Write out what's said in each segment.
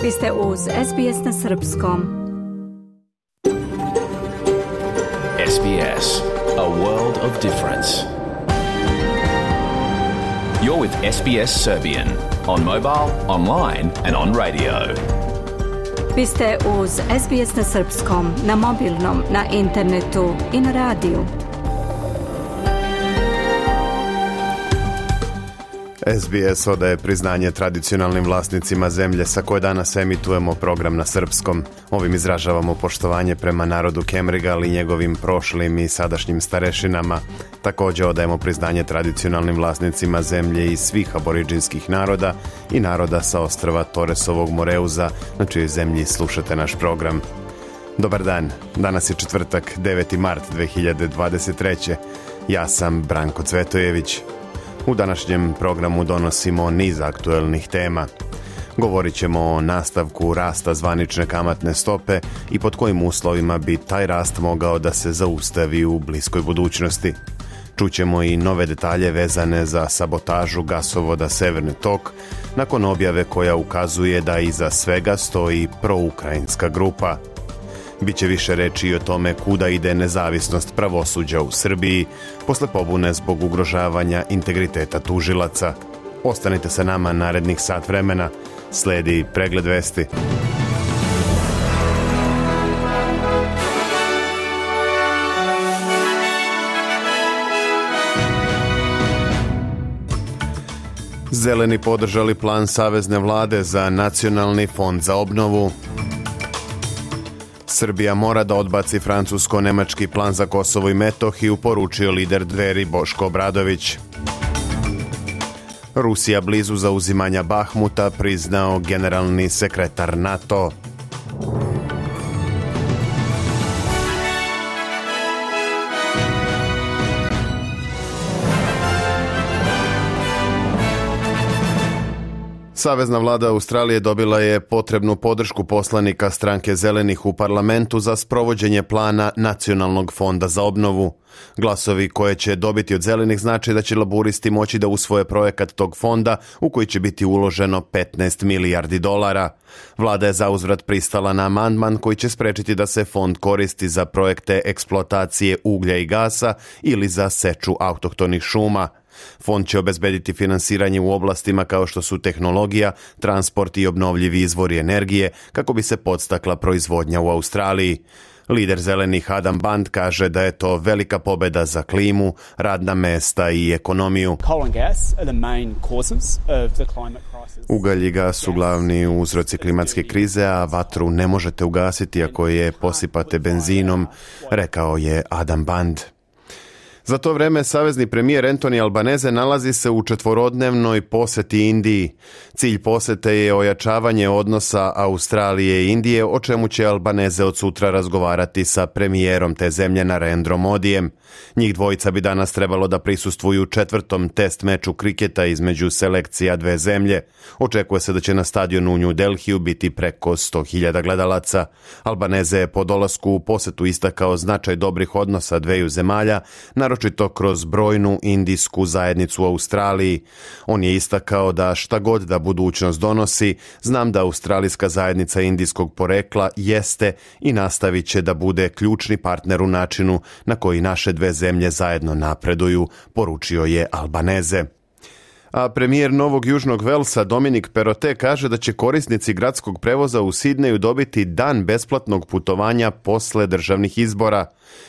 Vi ste uz SBS na Srpskom. SBS, a world of difference. You're with SBS Serbian on mobile, online and on radio. Vi ste uz SBS na Srpskom, na mobilnom, na internetu i na radiju. SBS odaje priznanje tradicionalnim vlasnicima zemlje sa koje danas emitujemo program na srpskom. Ovim izražavamo poštovanje prema narodu Kemrigal i njegovim prošlim i sadašnjim starešinama. Također odajemo priznanje tradicionalnim vlasnicima zemlje i svih aboriđinskih naroda i naroda sa ostrva Toresovog Moreuza, na čijoj zemlji slušate naš program. Dobar dan, danas je četvrtak, 9. mart 2023. Ja sam Branko Cvetojević. U današnjem programu donosimo niz aktuelnih tema. Govorit ćemo o nastavku rasta zvanične kamatne stope i pod kojim uslovima bi taj rast mogao da se zaustavi u bliskoj budućnosti. Čućemo i nove detalje vezane za sabotažu gasovoda Severni tok, nakon objave koja ukazuje da iza svega stoji proukrajinska grupa. Biće više reči i o tome kuda ide nezavisnost pravosuđa u Srbiji posle pobune zbog ugrožavanja integriteta tužilaca. Ostanite sa nama narednih sat vremena. Sledi pregled vesti. Zeleni podržali plan savezne vlade za Nacionalni fond za obnovu. Srbija mora da odbaci francusko-nemački plan za Kosovo i Metohiju, poručio lider Dveri Boško Obradović. Rusija blizu zauzimanja Bahmuta, priznao generalni sekretar NATO. Savezna vlada Australije dobila je potrebnu podršku poslanika stranke Zelenih u parlamentu za sprovođenje plana Nacionalnog fonda za obnovu. Glasovi koje će dobiti od Zelenih znači da će laburisti moći da usvoje projekat tog fonda u koji će biti uloženo 15 milijardi dolara. Vlada je zauzvrat pristala na amandman koji će sprečiti da se fond koristi za projekte eksploatacije uglja i gasa ili za seču autohtonih šuma. Fond će obezbediti finansiranje u oblastima kao što su tehnologija, transport i obnovljivi izvori energije kako bi se podstakla proizvodnja u Australiji. Lider Zelenih Adam Band kaže da je to velika pobeda za klimu, radna mesta i ekonomiju. Ugalj i gas su glavni uzroci klimatske krize, a vatru ne možete ugasiti ako je posipate benzinom, rekao je Adam Band. Za to vreme savezni premijer Anthony Albanese nalazi se u četvorodnevnoj poseti Indiji. Cilj posete je ojačavanje odnosa Australije i Indije, o čemu će Albanese od sutra razgovarati sa premijerom te zemlje Narendrom Modijem. Njih dvojica bi danas trebalo da prisustvuju četvrtom test meču kriketa između selekcija dve zemlje. Očekuje se da će na stadionu u New Delhiju biti preko 100.000 gledalaca. Albanese je po dolasku u posetu istakao značaj dobrih odnosa dveju zemalja, naročito kroz brojnu indijsku zajednicu u Australiji. On je istakao da šta god da budućnost donosi, znam da australijska zajednica indijskog porekla jeste i nastavit će da bude ključni partner u načinu na koji naše dve zemlje zajedno napreduju, poručio je Albanese. A premijer Novog Južnog Velsa Dominic Perrottet kaže da će korisnici gradskog prevoza u Sidneju dobiti dan besplatnog putovanja posle državnih izbora.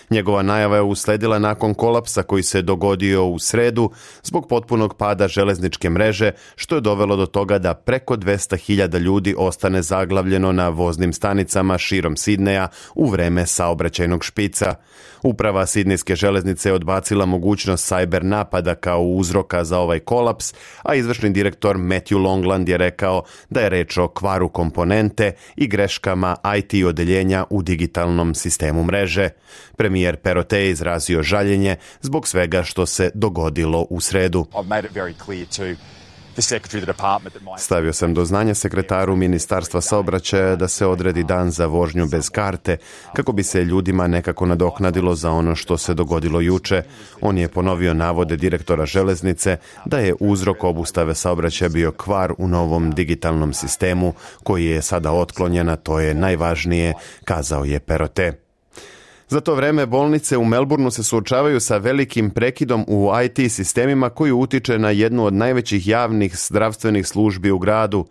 Njegova najava je usledila nakon kolapsa koji se dogodio u sredu zbog potpunog pada železničke mreže, što je dovelo do toga da preko 200.000 ljudi ostane zaglavljeno na voznim stanicama širom Sidneja u vreme saobraćajnog špica. Uprava sidnejske železnice je odbacila mogućnost cyber napada kao uzroka za ovaj kolaps, a izvršni direktor Matthew Longland je rekao da je reč o kvaru komponente i greškama IT odeljenja u digitalnom sistemu mreže. Premijer Perrottet je izrazio žaljenje zbog svega što se dogodilo u sredu. Stavio sam do znanja sekretaru Ministarstva saobraćaja da se odredi dan za vožnju bez karte, kako bi se ljudima nekako nadoknadilo za ono što se dogodilo juče. On je ponovio navode direktora železnice da je uzrok obustave saobraćaja bio kvar u novom digitalnom sistemu koji je sada otklonjen, a to je najvažnije, kazao je Perrottet. Za to vreme bolnice u Melbourneu se suočavaju sa velikim prekidom u IT sistemima koji utiče na jednu od najvećih javnih zdravstvenih službi u gradu.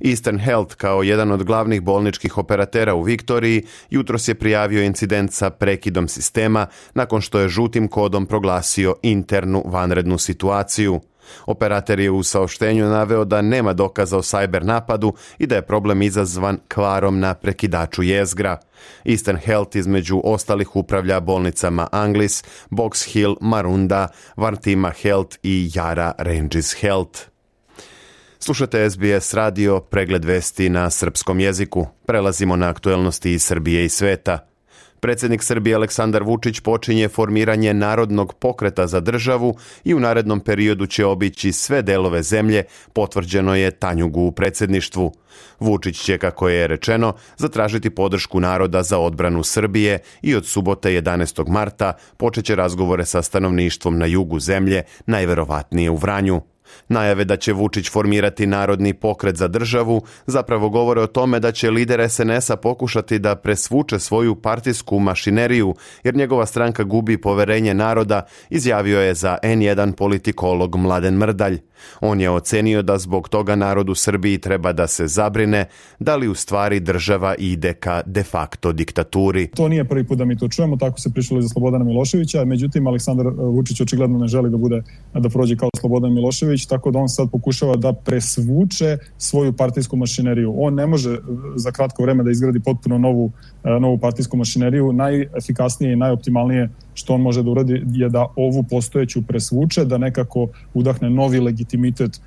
Eastern Health, kao jedan od glavnih bolničkih operatera u Viktoriji, jutros je prijavio incident sa prekidom sistema nakon što je žutim kodom proglasio internu vanrednu situaciju. Operator je u saopštenju naveo da nema dokaza o cyber napadu i da je problem izazvan kvarom na prekidaču jezgra. Eastern Health između ostalih upravlja bolnicama Anglis, Box Hill, Marunda, Vartima Health i Yarra Ranges Health. Slušate SBS radio, pregled vesti na srpskom jeziku. Prelazimo na aktuelnosti iz Srbije i sveta. Predsjednik Srbije Aleksandar Vučić počinje formiranje Narodnog pokreta za državu i u narednom periodu će obići sve delove zemlje, potvrđeno je Tanjugu u predsjedništvu. Vučić će, kako je rečeno, zatražiti podršku naroda za odbranu Srbije i od subote 11. marta počeće razgovore sa stanovništvom na jugu zemlje, najverovatnije u Vranju. Najave da će Vučić formirati Narodni pokret za državu zapravo govore o tome da će lider SNS-a pokušati da presvuče svoju partijsku mašineriju, jer njegova stranka gubi poverenje naroda, izjavio je za N1 politikolog Mladen Mrdalj. On je ocenio da zbog toga narod u Srbiji treba da se zabrine da li u stvari država ide ka de facto diktaturi. To nije prvi put da mi to čujemo, tako se pričalo i za Slobodana Miloševića, međutim Aleksandar Vučić očigledno ne želi da prođe kao Slobodan Milošević, tako da on sad pokušava da presvuče svoju partijsku mašineriju. On ne može za kratko vreme da izgradi potpuno novu partijsku mašineriju. Najefikasnije i najoptimalnije što on može da uradi je da ovu postojeću presvuče, da nekako udahne novi legitimitet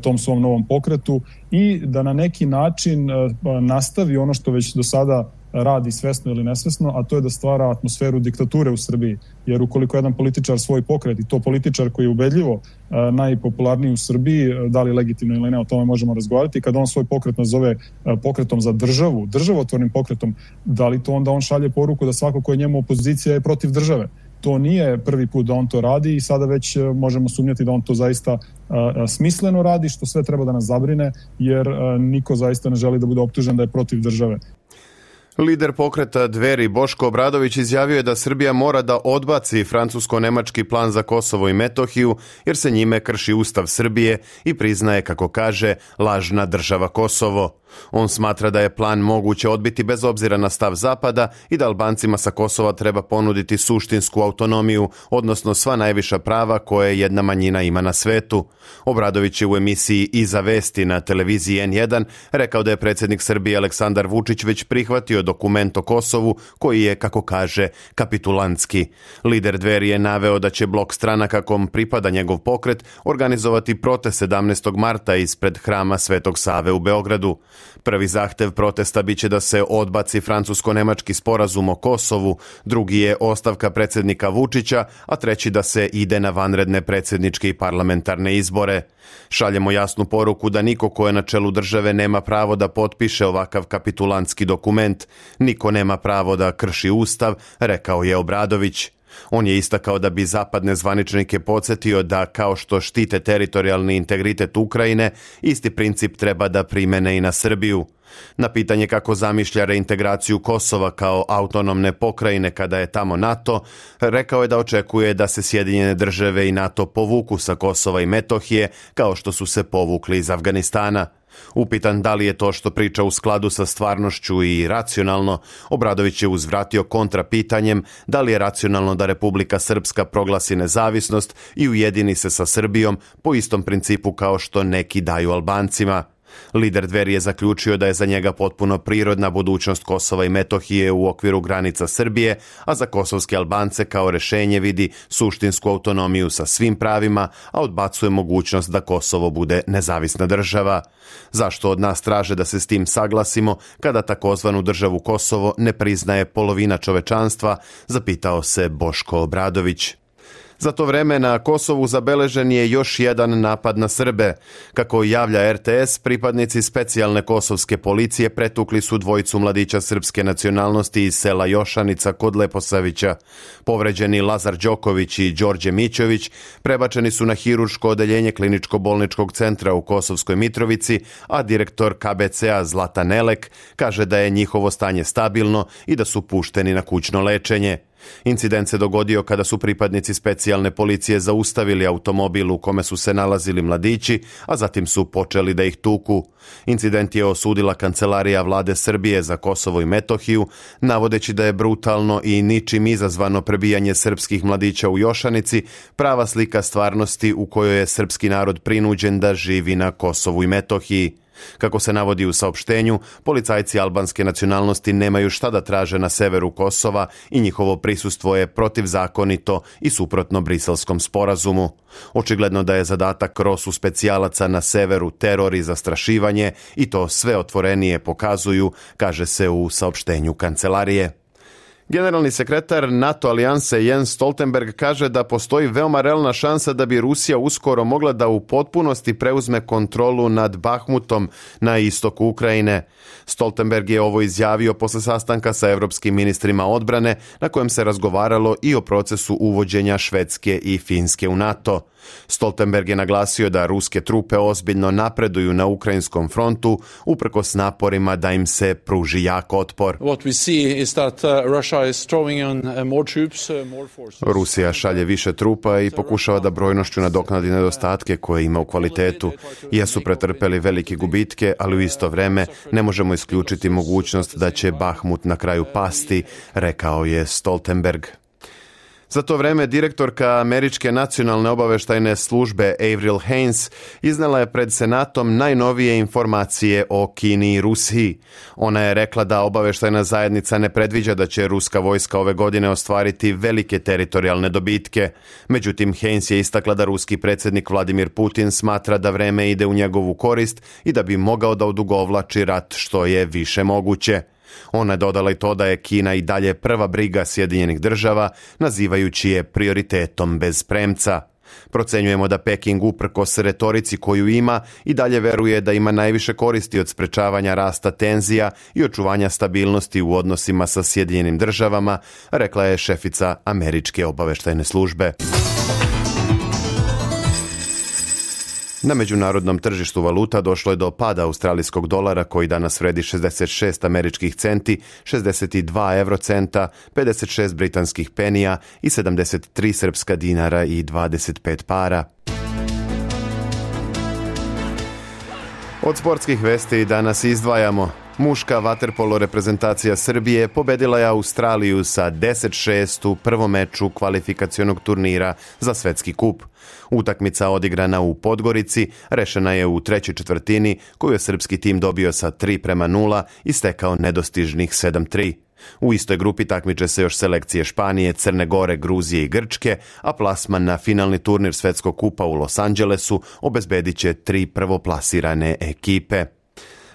tom svom novom pokretu i da na neki način nastavi ono što već do sada radi svesno ili nesvesno, a to je da stvara atmosferu diktature u Srbiji. Jer ukoliko jedan političar svoj pokret, i to političar koji je ubedljivo najpopularniji u Srbiji, da li legitimno ili ne, o tome možemo razgovarati, kada on svoj pokret nazove pokretom za državu, državotvornim pokretom, da li to onda on šalje poruku da svako ko je njemu opozicija je protiv države? To nije prvi put da on to radi i sada već možemo sumnjati da on to zaista smisleno radi, što sve treba da nas zabrine, jer niko zaista ne želi da bude optužen da je protiv države. Lider pokreta Dveri Boško Obradović izjavio je da Srbija mora da odbaci francusko-nemački plan za Kosovo i Metohiju jer se njime krši Ustav Srbije i priznaje, kako kaže, lažna država Kosovo. On smatra da je plan moguće odbiti bez obzira na stav Zapada i da Albancima sa Kosova treba ponuditi suštinsku autonomiju, odnosno sva najviša prava koje jedna manjina ima na svetu. Obradović je u emisiji Iza vesti na televiziji N1 rekao da je predsjednik Srbije Aleksandar Vučić već prihvatio dokument o Kosovu koji je, kako kaže, kapitulantski. Lider Dveri je naveo da će blok stranaka kom pripada njegov pokret organizovati protest 17. marta ispred hrama Svetog Save u Beogradu. Prvi zahtev protesta biće da se odbaci francusko-nemački sporazum o Kosovu, drugi je ostavka predsjednika Vučića, a treći da se ide na vanredne predsjedničke i parlamentarne izbore. Šaljemo jasnu poruku da niko ko je na čelu države nema pravo da potpiše ovakav kapitulantski dokument. Niko nema pravo da krši Ustav, rekao je Obradović. On je istakao da bi zapadne zvaničnike podsjetio da, kao što štite teritorijalni integritet Ukrajine, isti princip treba da primene i na Srbiju. Na pitanje kako zamišlja reintegraciju Kosova kao autonomne pokrajine kada je tamo NATO, rekao je da očekuje da se Sjedinjene države i NATO povuku sa Kosova i Metohije kao što su se povukli iz Afganistana. Upitan da li je to što priča u skladu sa stvarnošću i racionalno, Obradović je uzvratio kontrapitanjem da li je racionalno da Republika Srpska proglasi nezavisnost i ujedini se sa Srbijom po istom principu kao što neki daju Albancima. Lider Dveri je zaključio da je za njega potpuno prirodna budućnost Kosova i Metohije u okviru granica Srbije, a za kosovske Albance kao rešenje vidi suštinsku autonomiju sa svim pravima, a odbacuje mogućnost da Kosovo bude nezavisna država. Zašto od nas traže da se s tim saglasimo kada takozvanu državu Kosovo ne priznaje polovina čovečanstva, zapitao se Boško Obradović. Za to vreme na Kosovu zabeležen je još jedan napad na Srbe. Kako javlja RTS, pripadnici specijalne kosovske policije pretukli su dvojicu mladića srpske nacionalnosti iz sela Jošanica kod Leposavića. Povređeni Lazar Đoković i Đorđe Mićović prebačeni su na hirurško odeljenje kliničko-bolničkog centra u Kosovskoj Mitrovici, a direktor KBC-a Zlatan Elek kaže da je njihovo stanje stabilno i da su pušteni na kućno lečenje. Incident se dogodio kada su pripadnici specijalne policije zaustavili automobil u kome su se nalazili mladići, a zatim su počeli da ih tuku. Incident je osudila Kancelarija vlade Srbije za Kosovo i Metohiju, navodeći da je brutalno i ničim izazvano prebijanje srpskih mladića u Jošanici prava slika stvarnosti u kojoj je srpski narod prinuđen da živi na Kosovu i Metohiji. Kako se navodi u saopštenju, policajci albanske nacionalnosti nemaju šta da traže na severu Kosova i njihovo prisustvo je protivzakonito i suprotno Briselskom sporazumu. Očigledno da je zadatak ROSU specijalaca na severu teror i zastrašivanje i to sve otvorenije pokazuju, kaže se u saopštenju kancelarije. Generalni sekretar NATO alijanse Jens Stoltenberg kaže da postoji veoma realna šansa da bi Rusija uskoro mogla da u potpunosti preuzme kontrolu nad Bahmutom na istoku Ukrajine. Stoltenberg je ovo izjavio posle sastanka sa evropskim ministrima odbrane na kojem se razgovaralo i o procesu uvođenja Švedske i Finske u NATO. Stoltenberg je naglasio da ruske trupe ozbiljno napreduju na ukrajinskom frontu uprkos naporima da im se pruži jak otpor. Rusija šalje više trupa i pokušava da brojnošću nadoknadi nedostatke koje ima u kvalitetu. Jesu pretrpeli velike gubitke, ali u isto vreme ne možemo isključiti mogućnost da će Bahmut na kraju pasti, rekao je Stoltenberg. Za to vreme direktorka Američke nacionalne obaveštajne službe Avril Haines iznela je pred Senatom najnovije informacije o Kini i Rusiji. Ona je rekla da obaveštajna zajednica ne predviđa da će ruska vojska ove godine ostvariti velike teritorijalne dobitke. Međutim, Haines je istakla da ruski predsjednik Vladimir Putin smatra da vreme ide u njegovu korist i da bi mogao da odugovlači rat što je više moguće. Ona je dodala i to da je Kina i dalje prva briga Sjedinjenih država, nazivajući je prioritetom bez premca. Procenjujemo da Peking uprkos retorici koju ima i dalje veruje da ima najviše koristi od sprečavanja rasta tenzija i očuvanja stabilnosti u odnosima sa Sjedinjenim državama, rekla je šefica Američke obaveštajne službe. Na međunarodnom tržištu valuta došlo je do pada australijskog dolara koji danas vredi 66 američkih centi, 62 eurocenta, 56 britanskih penija i 73 srpska dinara i 25 para. Od sportskih vesti danas izdvajamo. Muška vaterpolo reprezentacija Srbije pobedila je Australiju sa 10-6 u prvom meču kvalifikacionog turnira za svetski kup. Utakmica odigrana u Podgorici rešena je u trećoj četvrtini koju je srpski tim dobio sa 3:0 i stekao nedostižnih 7-3. U istoj grupi takmiče se još selekcije Španije, Crne Gore, Gruzije i Grčke, a plasman na finalni turnir svetskog kupa u Los Angelesu obezbedit će 3 prvoplasirane ekipe.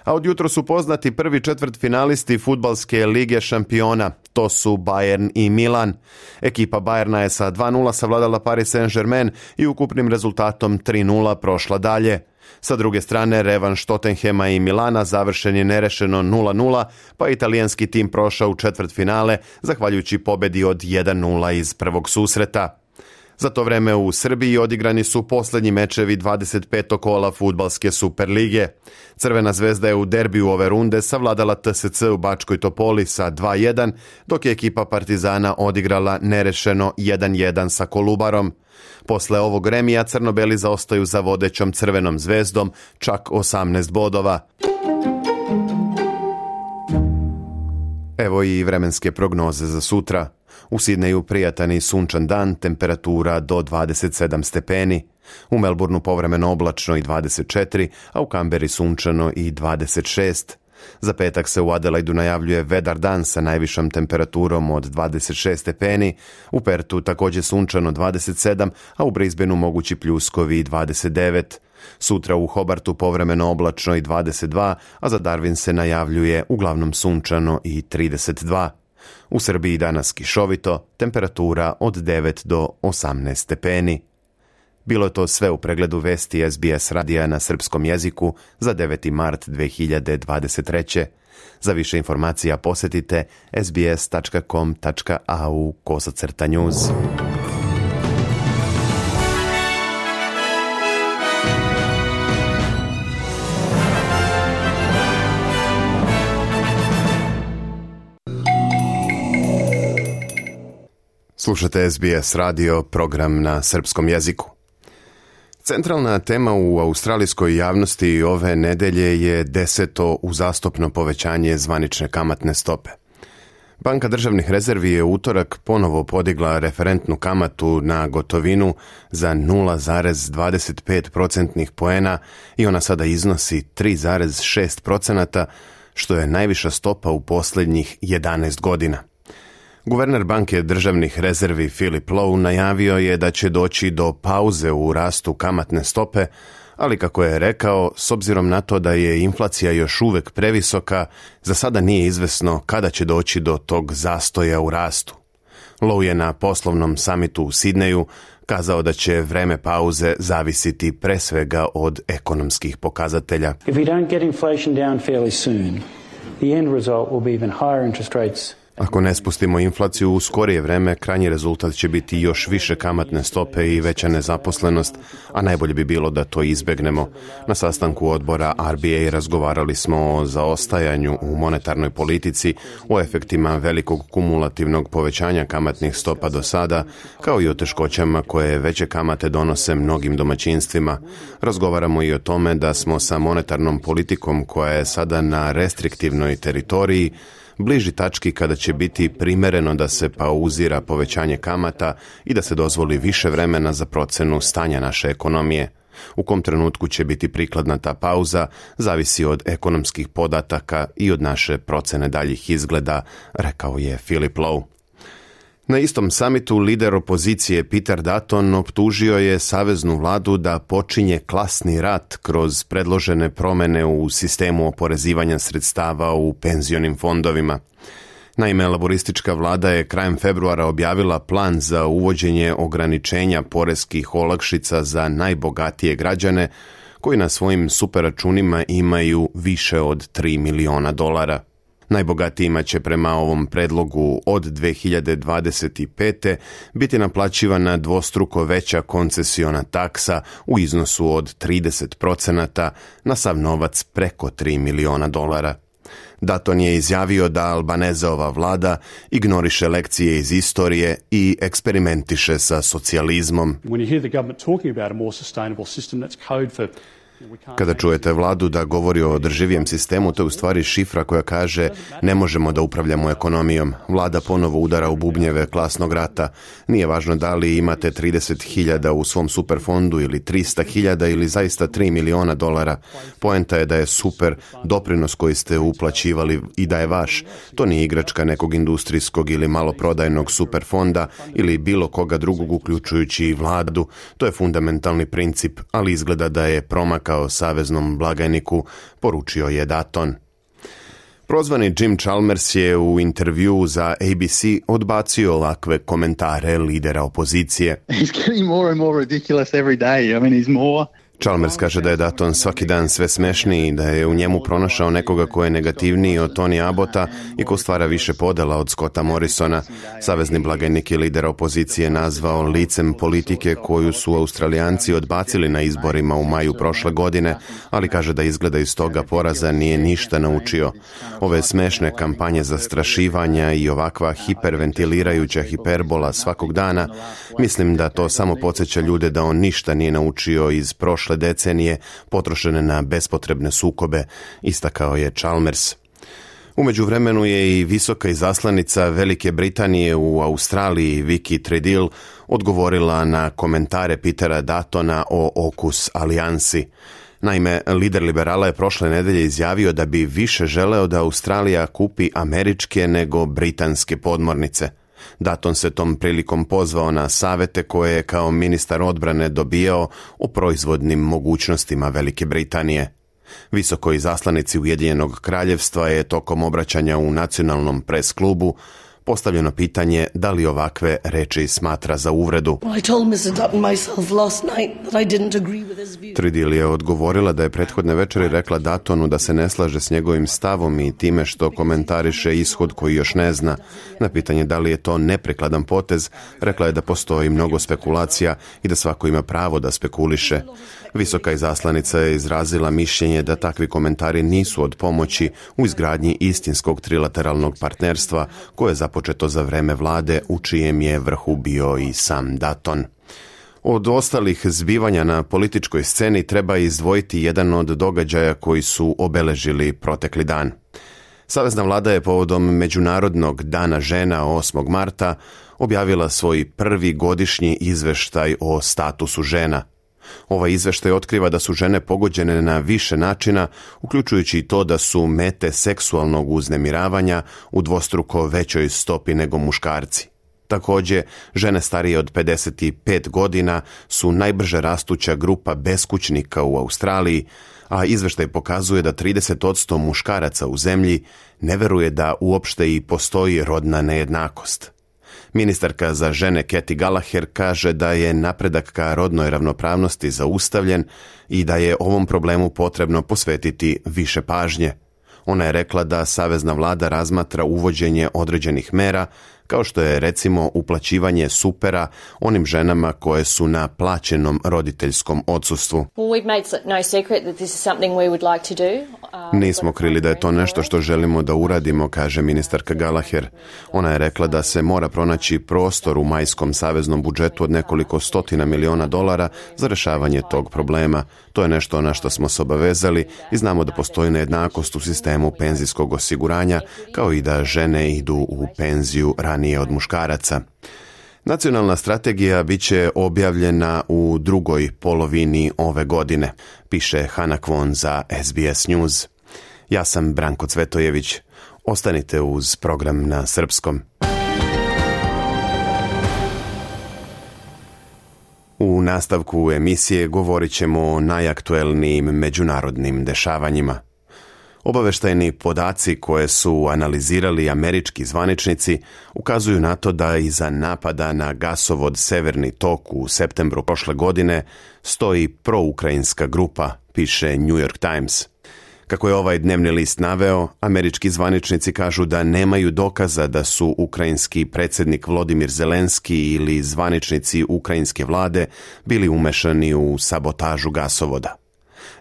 A od jutro su poznati prvi četvrtfinalisti fudbalske lige šampiona. To su Bayern i Milan. Ekipa Bayerna je sa 2:0 savladala Paris Saint-Germain i ukupnim rezultatom 3:0 prošla dalje. Sa druge strane, revanš Tottenhema i Milana završen je nerešeno 0:0, pa italijanski tim prošao u četvrtfinale, zahvaljujući pobedi od 1:0 iz prvog susreta. Za to vreme u Srbiji odigrani su posljednji mečevi 25. kola fudbalske Superlige. Crvena zvezda je u derbiju ove runde savladala TSC u Bačkoj Topoli sa 2:1, dok je ekipa Partizana odigrala nerešeno 1:1 sa Kolubarom. Posle ovog remija crno-beli zaostaju za vodećom Crvenom zvezdom čak 18 bodova. Evo i vremenske prognoze za sutra. U Sidneju prijatan i sunčan dan, temperatura do 27 stepeni. U Melbourneu povremeno oblačno i 24, a u Kamberi sunčano i 26. Za petak se u Adelaidu najavljuje vedar dan sa najvišom temperaturom od 26 stepeni, u Pertu također sunčano 27, a u Brisbaneu mogući pljuskovi 29. Sutra u Hobartu povremeno oblačno i 22, a za Darwin se najavljuje uglavnom sunčano i 32. U Srbiji danas kišovito, temperatura od 9 do 18 stepeni. Bilo je to sve u pregledu vesti SBS radija na srpskom jeziku za 9. mart 2023. Za više informacija posjetite sbs.com.au/news. Slušate SBS radio, program na srpskom jeziku. Centralna tema u australijskoj javnosti ove nedelje je 10. uzastopno povećanje zvanične kamatne stope. Banka državnih rezervi je u utorak ponovo podigla referentnu kamatu na gotovinu za 0,25% poena i ona sada iznosi 3,6%, što je najviša stopa u posljednjih 11 godina. Guverner banke državnih rezervi Philip Lowe najavio je da će doći do pauze u rastu kamatne stope, ali kako je rekao, s obzirom na to da je inflacija još uvek previsoka, za sada nije izvesno kada će doći do tog zastoja u rastu. Lowe je na poslovnom samitu u Sidneju kazao da će vreme pauze zavisiti pre svega od ekonomskih pokazatelja. If we don't get inflation down fairly soon, the end result will be even higher interest rates. Ako ne spustimo inflaciju u skorije vreme, krajnji rezultat će biti još više kamatne stope i veća nezaposlenost, a najbolje bi bilo da to izbegnemo. Na sastanku odbora RBA razgovarali smo o zaostajanju u monetarnoj politici, o efektima velikog kumulativnog povećanja kamatnih stopa do sada, kao i o teškoćama koje veće kamate donose mnogim domaćinstvima. Razgovaramo i o tome da smo sa monetarnom politikom koja je sada na restriktivnoj teritoriji bliži tački kada će biti primereno da se pauzira povećanje kamata i da se dozvoli više vremena za procenu stanja naše ekonomije. U kom trenutku će biti prikladna ta pauza, zavisi od ekonomskih podataka i od naše procene daljih izgleda, rekao je Philip Lowe. Na istom samitu lider opozicije Peter Dutton optužio je saveznu vladu da počinje klasni rat kroz predložene promjene u sistemu oporezivanja sredstava u penzionim fondovima. Naime, laboristička vlada je krajem februara objavila plan za uvođenje ograničenja poreskih olakšica za najbogatije građane koji na svojim superračunima imaju više od $3 miliona. Najbogatijima će prema ovom predlogu od 2025. biti naplaćivana dvostruko veća koncesiona taksa u iznosu od 30% na sav novac preko $3 miliona. Dutton je izjavio da Albanezeova vlada ignoriše lekcije iz istorije i eksperimentiše sa socijalizmom. Kada čujete vladu da govori o održivijem sistemu, to je u stvari šifra koja kaže ne možemo da upravljamo ekonomijom. Vlada ponovo udara u bubnjeve klasnog rata. Nije važno da li imate 30.000 u svom superfondu ili 300.000 ili zaista $3 miliona. Poenta je da je super doprinos koji ste uplaćivali i da je vaš. To nije igračka nekog industrijskog ili maloprodajnog superfonda ili bilo koga drugog uključujući i vladu. To je fundamentalni princip, ali izgleda da je promakao saveznom blagajniku, poručio je Dutton. Prozvani Jim Chalmers je u intervjuu za ABC odbacio ovakve komentare lidera opozicije. He's getting more and more ridiculous every day. I mean, he's more Chalmers kaže da je Dutton svaki dan sve smešniji, da je u njemu pronašao nekoga ko je negativniji od Tony Abbotta i ko stvara više podela od Scotta Morrisona. Savezni blagajnik i lider opozicije nazvao licem politike koju su Australijanci odbacili na izborima u maju prošle godine, ali kaže da izgleda iz toga poraza nije ništa naučio. Ove smešne kampanje zastrašivanja i ovakva hiperventilirajuća hiperbola svakog dana, mislim da to samo podsjeća ljude da on ništa nije naučio iz prošle decenije potrošene na bespotrebne sukobe, istakao je Chalmers. U međuvremenu je i visoka izaslanica Velike Britanije u Australiji, Vicky Treadell, odgovorila na komentare Petera Duttona o AUKUS alijansi. Naime, lider liberala je prošle nedelje izjavio da bi više želeo da Australija kupi američke nego britanske podmornice. Dutton se tom prilikom pozvao na savete koje je kao ministar odbrane dobijao o proizvodnim mogućnostima Velike Britanije. Visokoj izaslanici Ujedinjenog kraljevstva je tokom obraćanja u nacionalnom pres klubu Postavljeno pitanje da li ovakve reči smatra za uvredu. Tridil je odgovorila da je prethodne večeri rekla Duttonu da se ne slaže s njegovim stavom i time što komentariše ishod koji još ne zna. Na pitanje da li je to neprikladan potez, rekla je da postoji mnogo spekulacija i da svako ima pravo da spekuliše. Visoka izaslanica je izrazila mišljenje da takvi komentari nisu od pomoći u izgradnji istinskog trilateralnog partnerstva koje je započeto za vreme vlade u čijem je vrhu bio i sam Dutton. Od ostalih zbivanja na političkoj sceni treba izdvojiti jedan od događaja koji su obeležili protekli dan. Savezna vlada je povodom Međunarodnog dana žena 8. marta objavila svoj prvi godišnji izveštaj o statusu žena. Ovaj izveštaj otkriva da su žene pogođene na više načina, uključujući i to da su mete seksualnog uznemiravanja u dvostruko većoj stopi nego muškarci. Također, žene starije od 55 godina su najbrže rastuća grupa beskućnika u Australiji, a izveštaj pokazuje da 30% muškaraca u zemlji ne veruje da uopšte i postoji rodna nejednakost. Ministarka za žene Katy Gallagher kaže da je napredak ka rodnoj ravnopravnosti zaustavljen i da je ovom problemu potrebno posvetiti više pažnje. Ona je rekla da savezna vlada razmatra uvođenje određenih mera, kao što je recimo uplaćivanje supera onim ženama koje su na plaćenom roditeljskom odsustvu. Nismo krili da je to nešto što želimo da uradimo, kaže ministarka Gallagher. Ona je rekla da se mora pronaći prostor u majskom saveznom budžetu od nekoliko stotina miliona dolara za rešavanje tog problema. To je nešto na što smo se obavezali i znamo da postoji nejednakost u sistemu penzijskog osiguranja, kao i da žene idu u penziju ranije od muškaraca. Nacionalna strategija bit će objavljena u drugoj polovini ove godine, piše Hana Kwon za SBS News. Ja sam Branko Cvetojević. Ostanite uz program na srpskom. U nastavku emisije govorit ćemo o najaktuelnijim međunarodnim dešavanjima. Obaveštajni podaci koje su analizirali američki zvaničnici ukazuju na to da iza napada na gasovod Severni tok u septembru prošle godine stoji proukrajinska grupa, piše New York Times. Kako je ovaj dnevni list naveo, američki zvaničnici kažu da nemaju dokaza da su ukrajinski predsjednik Volodimir Zelenski ili zvaničnici ukrajinske vlade bili umešani u sabotažu gasovoda.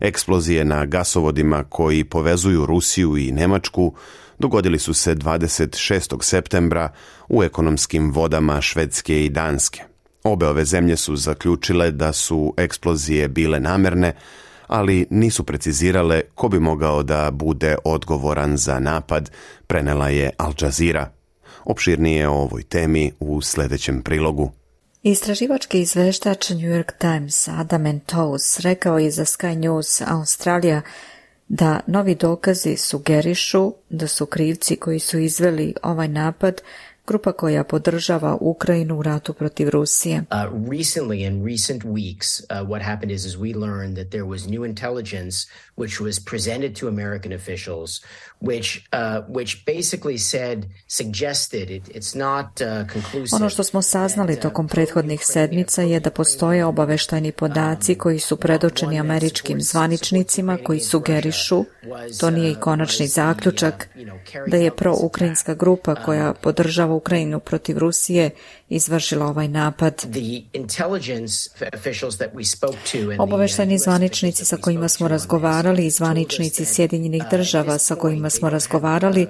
Eksplozije na gasovodima koji povezuju Rusiju i Nemačku dogodili su se 26. septembra u ekonomskim vodama Švedske i Danske. Obe ove zemlje su zaključile da su eksplozije bile namerne, ali nisu precizirale ko bi mogao da bude odgovoran za napad, prenela je Al Jazeera. Opširnije o ovoj temi u sljedećem prilogu. Istraživački izveštač New York Times Adam Entous rekao je za Sky News Australija da novi dokazi sugerišu da su krivci koji su izveli ovaj napad grupa koja podržava Ukrajinu u ratu protiv Rusije. Recently, in recent weeks, what happened is we learned that there was new intelligence which was presented to American officials, which basically suggested it's not conclusive. Ono što smo saznali tokom prethodnih sedmica je da postoje obaveštajni podaci koji su predočeni američkim zvaničnicima koji sugerišu, to nije i konačni zaključak, da je proukrajinska grupa koja podržava Ukrajinu protiv Rusije izvršila ovaj napad. Obaveštajni zvaničnici sa kojima smo razgovarali i zvaničnici Sjedinjenih država sa kojima smo razgovarali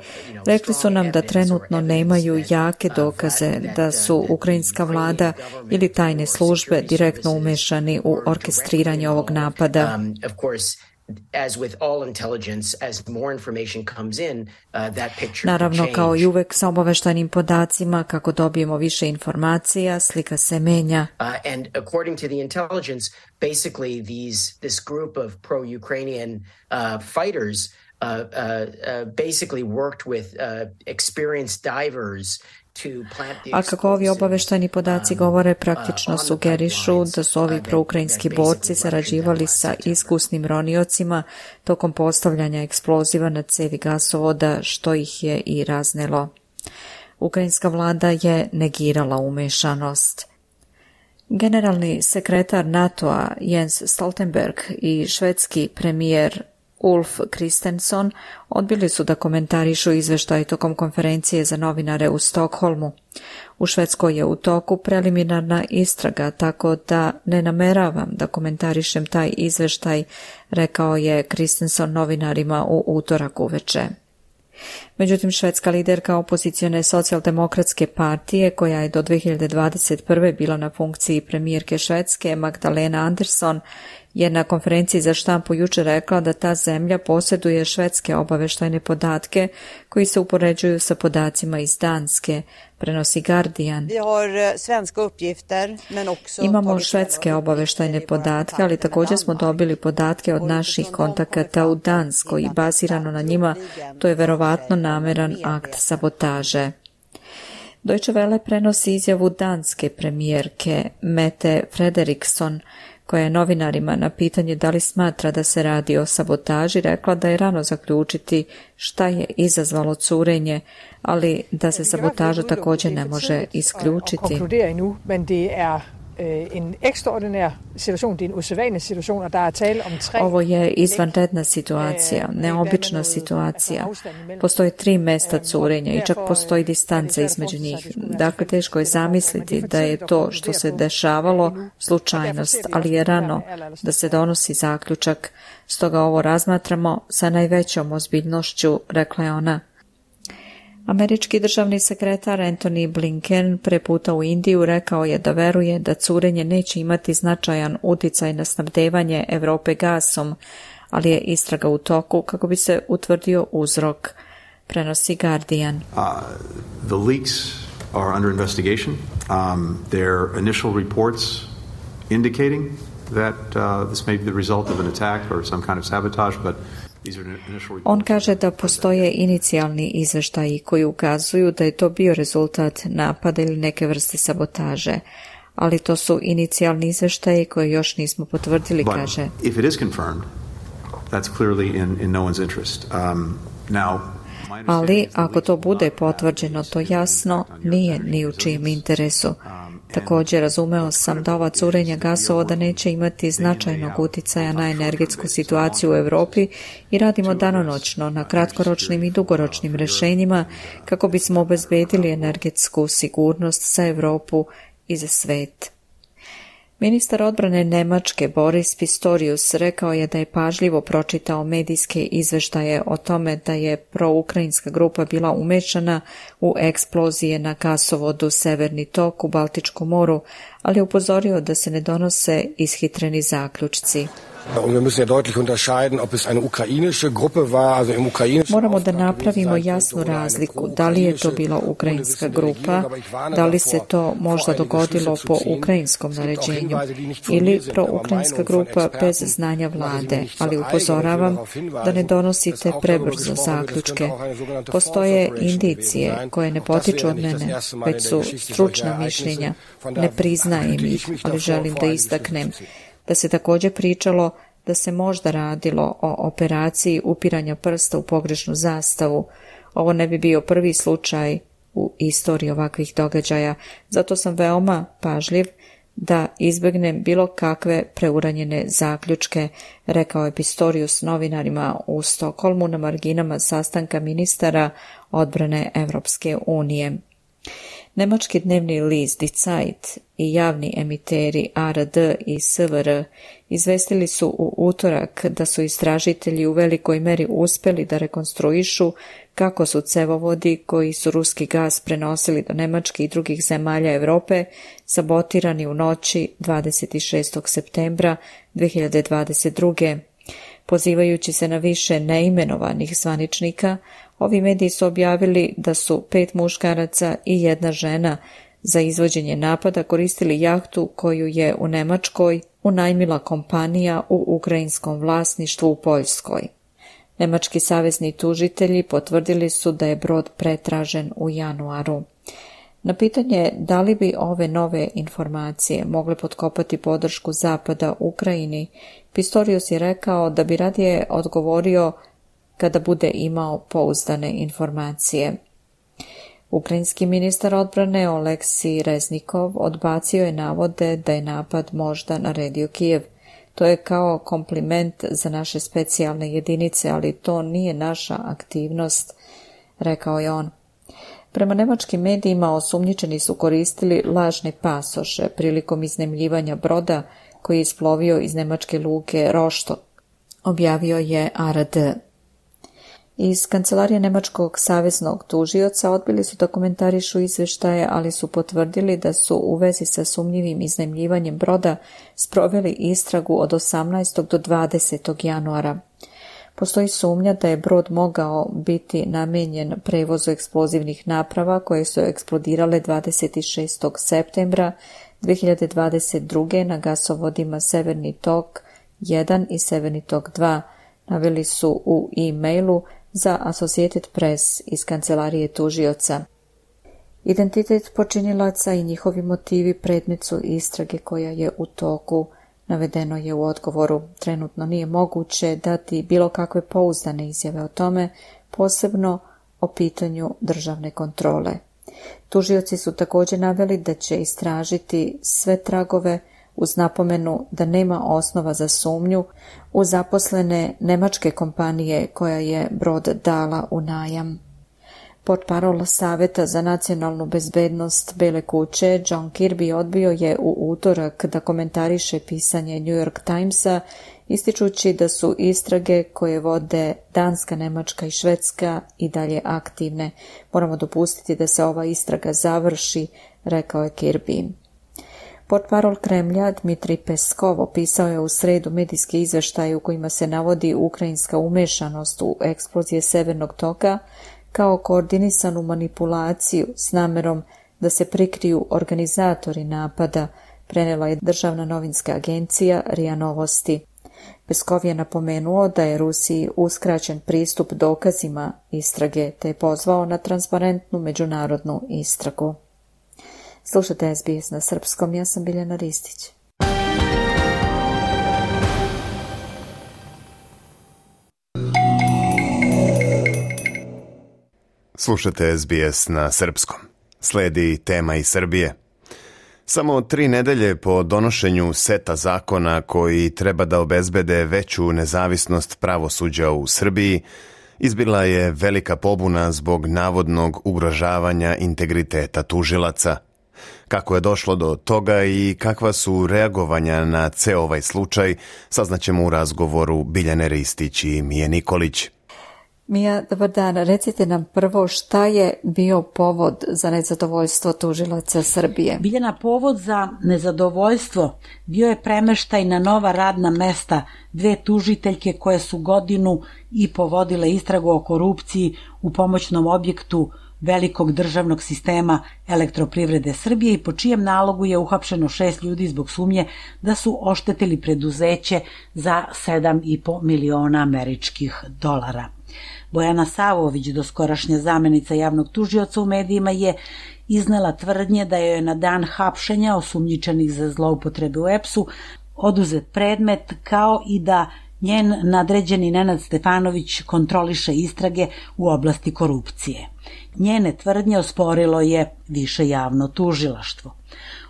rekli su nam da trenutno nemaju jake dokaze da su ukrajinska vlada ili tajne službe direktno umešani u orkestriranje ovog napada. Naravno, kao i uvek sa obaveštajnim podacima, kako dobijemo više informacija, slika se menja. And according to the intelligence, basically this group of pro-Ukrainian fighters basically worked with experienced divers. A kako ovi obaveštajni podaci govore, praktično sugerišu da su ovi proukrajinski borci sarađivali sa iskusnim roniocima tokom postavljanja eksploziva na cevi gasovoda, što ih je i raznelo. Ukrajinska vlada je negirala umešanost. Generalni sekretar NATO-a Jens Stoltenberg i švedski premijer Ulf Kristersson odbili su da komentarišu izveštaj tokom konferencije za novinare u Stokholmu. U Švedskoj je u toku preliminarna istraga, tako da ne nameravam da komentarišem taj izveštaj, rekao je Kristersson novinarima u utorak uveče. Međutim, švedska liderka opozicione socijaldemokratske partije, koja je do 2021. bila na funkciji premijerke Švedske, Magdalena Andersson, je na konferenciji za štampu jučer rekla da ta zemlja posjeduje švedske obavještajne podatke koji se upoređuju sa podacima iz Danske, prenosi Guardian. Imamo švedske obavještajne podatke, ali također smo dobili podatke od naših kontakata u Danskoj i bazirano na njima to je verovatno nameran akt sabotaže. Deutsche Welle prenosi izjavu danske premijerke Mette Frederiksen, koja je novinarima na pitanje da li smatra da se radi o sabotaži rekla da je rano zaključiti šta je izazvalo curenje, ali da se sabotaža također ne može isključiti. Ovo je izvanredna situacija, neobična situacija. Postoje 3 mesta curenja i čak postoji distanca između njih. Dakle, teško je zamisliti da je to što se dešavalo slučajnost, ali je rano da se donosi zaključak. Stoga ovo razmatramo sa najvećom ozbiljnošću, rekla je ona. Američki državni sekretar Antony Blinken preputa u Indiju rekao je da veruje da curenje neće imati značajan uticaj na snabdevanje Europe gasom, ali je istraga u toku kako bi se utvrdio uzrok, prenosi Guardian. The leaks are under investigation. Their initial reports indicating that this may be the result of an attack or some kind of sabotage, but on kaže da postoje inicijalni izveštaji koji ukazuju da je to bio rezultat napada ili neke vrste sabotaže, ali to su inicijalni izveštaji koje još nismo potvrdili, kaže. If it is confirmed, that's clearly in no one's interest. Ali ako to bude potvrđeno, to jasno nije ni u čijem interesu. Također razumeo sam da ova curenja gasovoda neće imati značajnog uticaja na energetsku situaciju u Europi i radimo danonoćno na kratkoročnim i dugoročnim rješenjima kako bismo obezbedili energetsku sigurnost za Europu i za svet. Ministar odbrane Nemačke Boris Pistorius rekao je da je pažljivo pročitao medijske izveštaje o tome da je proukrajinska grupa bila umešana u eksplozije na gasovodu Severni tok u Baltičkom moru, ali je upozorio da se ne donose ishitreni zaključci. Moramo da napravimo jasnu razliku, da li je to bila ukrajinska grupa, da li se to možda dogodilo po ukrajinskom naređenju ili proukrajinska grupa bez znanja vlade, ali upozoravam da ne donosite prebrzo zaključke. Postoje indicije koje ne potiču od mene, već su stručna mišljenja, ne priznajem ih, ali želim da istaknem da se također pričalo da se možda radilo o operaciji upiranja prsta u pogrešnu zastavu. Ovo ne bi bio prvi slučaj u istoriji ovakvih događaja, zato sam veoma pažljiv da izbjegnem bilo kakve preuranjene zaključke, rekao je Pistorius novinarima u Stokholmu na marginama sastanka ministara odbrane Evropske unije. Nemački dnevni list Die Zeit i javni emiteri ARD i SVR izvestili su u utorak da su istražitelji u velikoj meri uspjeli da rekonstruišu kako su cevovodi koji su ruski gas prenosili do Nemačke i drugih zemalja Europe sabotirani u noći 26. septembra 2022. Pozivajući se na više neimenovanih zvaničnika, ovi mediji su objavili da su 5 muškaraca i 1 žena za izvođenje napada koristili jahtu koju je u Nemačkoj unajmila kompanija u ukrajinskom vlasništvu u Poljskoj. Nemački savezni tužitelji potvrdili su da je brod pretražen u januaru. Na pitanje da li bi ove nove informacije mogle potkopati podršku Zapada Ukrajini, Pistorius je rekao da bi radije odgovorio kada bude imao pouzdane informacije. Ukrajinski ministar odbrane Oleksij Reznikov odbacio je navode da je napad možda naredio Kijev. To je kao kompliment za naše specijalne jedinice, ali to nije naša aktivnost, rekao je on. Prema nemačkim medijima osumnjičeni su koristili lažne pasoše prilikom iznajmljivanja broda koji je isplovio iz nemačke luke Rostock, objavio je ARD. Iz kancelarije nemačkog saveznog tužioca odbili su da komentarišu izveštaje, ali su potvrdili da su u vezi sa sumnjivim iznajmljivanjem broda sproveli istragu od 18. do 20. januara. Postoji sumnja da je brod mogao biti namenjen prevozu eksplozivnih naprava koje su eksplodirale 26. septembra 2022. na gasovodima Severni tok 1 i Severni tok 2, naveli su u e-mailu za Associated Press iz kancelarije tužioca. Identitet počinilaca i njihovi motivi predmet su istrage koja je u toku, navedeno je u odgovoru. Trenutno nije moguće dati bilo kakve pouzdane izjave o tome, posebno o pitanju državne kontrole. Tužioci su također naveli da će istražiti sve tragove uz napomenu da nema osnova za sumnju u zaposlene nemačke kompanije koja je brod dala u najam. Portparol Saveta za nacionalnu bezbednost Bele kuće John Kirby odbio je u utorak da komentariše pisanje New York Timesa, ističući da su istrage koje vode Danska, Nemačka i Švedska i dalje aktivne. Moramo dopustiti da se ova istraga završi, rekao je Kirby. Portparol Kremlja Dmitrij Peskov opisao je u sredu medijski izveštaj u kojima se navodi ukrajinska umešanost u eksplozije Severnog toka kao koordinisanu manipulaciju s namerom da se prikriju organizatori napada, prenela je državna novinska agencija RIA Novosti. Peskov je napomenuo da je Rusiji uskraćen pristup dokazima istrage, te je pozvao na transparentnu međunarodnu istragu. Slušajte SBS na srpskom, ja sam Biljana Ristić. Slušajte SBS na srpskom. Sledi tema iz Srbije. Samo 3 nedelje po donošenju seta zakona koji treba da obezbede veću nezavisnost pravosuđa u Srbiji, izbila je velika pobuna zbog navodnog ugrožavanja integriteta tužilaca. Kako je došlo do toga i kakva su reagovanja na ceo ovaj slučaj, saznaćemo u razgovoru Biljane Ristić i Mije Nikolić. Mija, dobar dan. Recite nam prvo šta je bio povod za nezadovoljstvo tužilaca Srbije? Biljana, povod za nezadovoljstvo bio je premeštaj na nova radna mesta 2 tužiteljke koje su godinu i povodile istragu o korupciji u pomoćnom objektu velikog državnog sistema Elektroprivrede Srbije i po čijem nalogu je uhapšeno 6 ljudi zbog sumnje da su oštetili preduzeće za 7,5 miliona američkih dolara. Bojana Savović, doskorašnja zamenica javnog tužioca u medijima, je iznela tvrdnje da je na dan hapšenja osumnjičenih za zloupotrebe u EPS-u oduzet predmet, kao i da njen nadređeni Nenad Stefanović kontroliše istrage u oblasti korupcije. Njene tvrdnje osporilo je više javno tužilaštvo.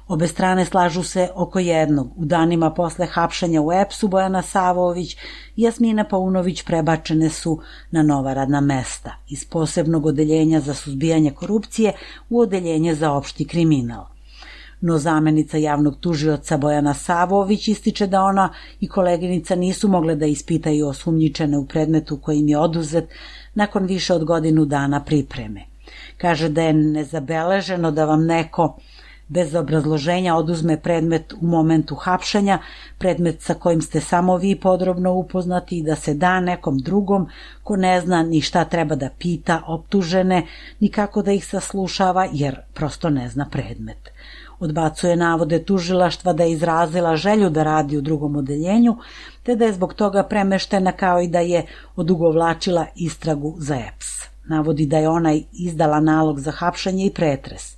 Obe strane slažu se oko jednog. U danima posle hapšenja u EPS-u Bojana Savović i Jasmina Paunović prebačene su na nova radna mesta iz posebnog odeljenja za suzbijanje korupcije u odeljenje za opšti kriminal. No zamenica javnog tužioca Bojana Savović ističe da ona i koleginica nisu mogle da ispitaju osumnjičene u predmetu kojim je oduzet nakon više od godinu dana pripreme. Kaže da je nezabeleženo da vam neko bez obrazloženja oduzme predmet u momentu hapšenja, predmet sa kojim ste samo vi podrobno upoznati, i da se da nekom drugom ko ne zna ni šta treba da pita optužene, ni kako da ih saslušava, jer prosto ne zna predmet. Odbacuje navode tužilaštva da je izrazila želju da radi u drugom odeljenju, te da je zbog toga premeštena, kao i da je odugovlačila istragu za EPS. Navodi da je ona izdala nalog za hapšenje i pretres.